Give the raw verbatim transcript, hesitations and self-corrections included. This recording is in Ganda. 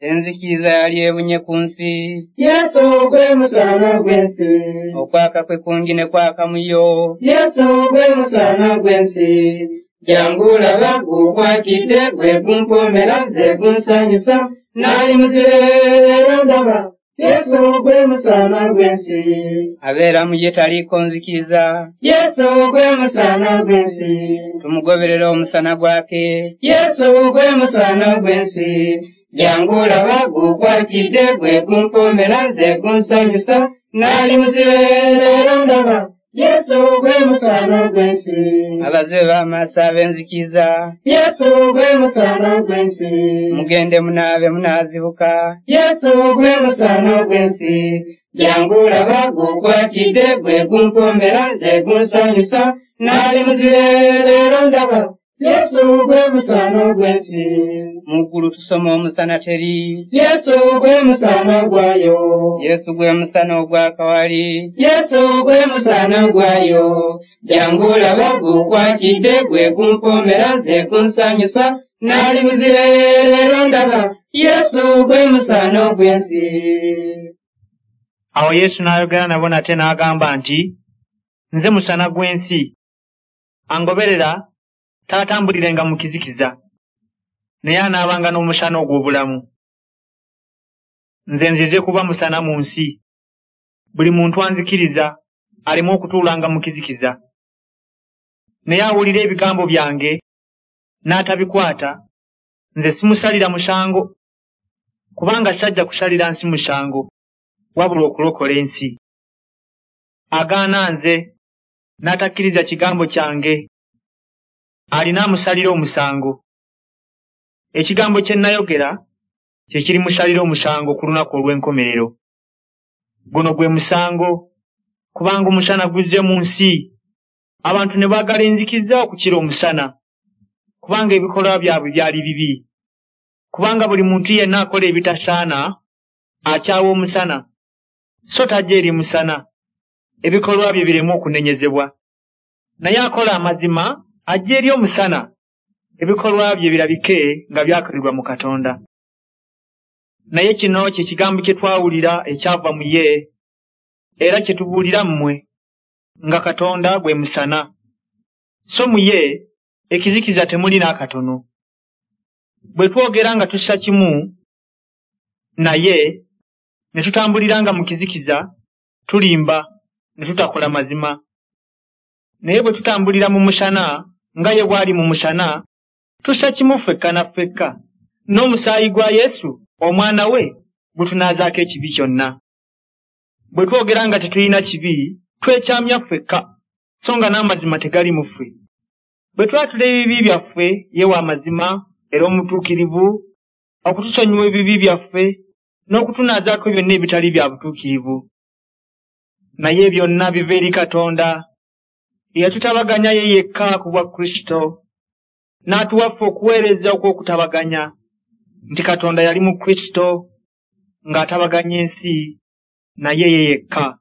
Enzikiza yali ebunye ku nsi. Yesu gwe musana gw'ensi. Okwaka kwe kungi ne kwaka mu yo. Yesu gwe musana gw'ensi. Jangu laba gukwakidde, gwe gumpomera, nze gunsanyusa. Nali muzibe leero ndaba. Yesu gwe musana gw'ensi. Abeera mu ye taliiko nzikiza. Yesu gwe musana gw'ensi. Tumugoberera omusana gwake. Yesu gwe musana gw'ensi. Jangu laba gukwakidde, gwe gumpomera, nze gunsanyusa. Nali muzibe leero ndaba. Yesu gwe musana gw'ensi. Abazibe b'amaaso ab'enzikiza. Yesu gwe musana gw'ensi. Mugende munaabe munaazibuka. Yesu gwe musana gw'ensi. Jangu laba gukwakidde, gwe gumpomera, nze gunsanyusa. Nali muzibe leero ndaba. Yesu gwe musana gw'ensi. Mu ggulu tusoma omusana teri. Yesu gwe musana gwayo. Yesu gwe musana ogwakawali. Yesu gwe musana gwayo. Jangu laba gukwakidde, gwe gumpomera, nze gunsanyusa. Nali muzibe leero ndaba. Yesu gwe musana gw'ensi. Awo Yesu n'ayogera nabo nate n'agamba nti, Nze musana gw'ensi. Angoberera taatambulirenga mu kizikiza, naye anaabanga n'omusana ogw'obulamu. Nze nzize kuba musana mu nsi. Buli muntu anzikiriza aleme okutuulanga mu kizikiza. Naye awulira ebigambo byange n'atabikwata, nze simusalira musango, kubanga sajja kusalira nsi musango, wabula okulokola ensi. Agaana nze n'atakkiriza kigambo kyange, alina amusalira omusango. Ekigambo kye nnayogera kye kirimusalira omusango ku lunaku olw'enkomerero. Guno gwe musango, kubanga omusana guzze mu nsi, abantu ne baagala enzikiza okukira omusana, kubanga ebikolwa byabwe byali bibi. Kubanga buli muntu yenna akola ebitasaana akyawa omusana, so tajja eri musana, ebikolwa bye bireme okunenyezebwa. Naye akola amazima ajja eri omusana, ebikolwa bye birabike nga byakolebwa mu Katonda. Naye kino kye kigambo kye twawulira ekyava mu ye, era kye tubuulira mmwe, nga Katonda gwe musana. So mu ye ekizikiza temuli n'akatono. Bwe twogera nga tussa kimu naye, ne tutambuliranga mu kizikiza, tulimba, ne tutakola mazima. Naye bwe tutambulira mu musana, nga ye bw'ali mu musana, tussa kimu ffekka na ffekka, n'omusaayi gwa Yesu omwana we gutunaazaako ekibi kyonna. Bwe twogera nga tetulina kibi, twekyamya ffekka, so nga n'amazima tegali mu ffe. Bwe twatula ebibi byaffe, ye wa mazima era omutuukirivu, okutusonyiwa ebibi byaffe n'okutunaazaako byonna ebitali bya butuukirivu. Naye byonna biva eri Katonda, eyatutabaganya ye yekka ku bwa Kristo, n'atuwa ffe okuweereza okw'okutabaganya, nti Katonda yali mu Kristo ng'atabaganya ensi naye ye yekka.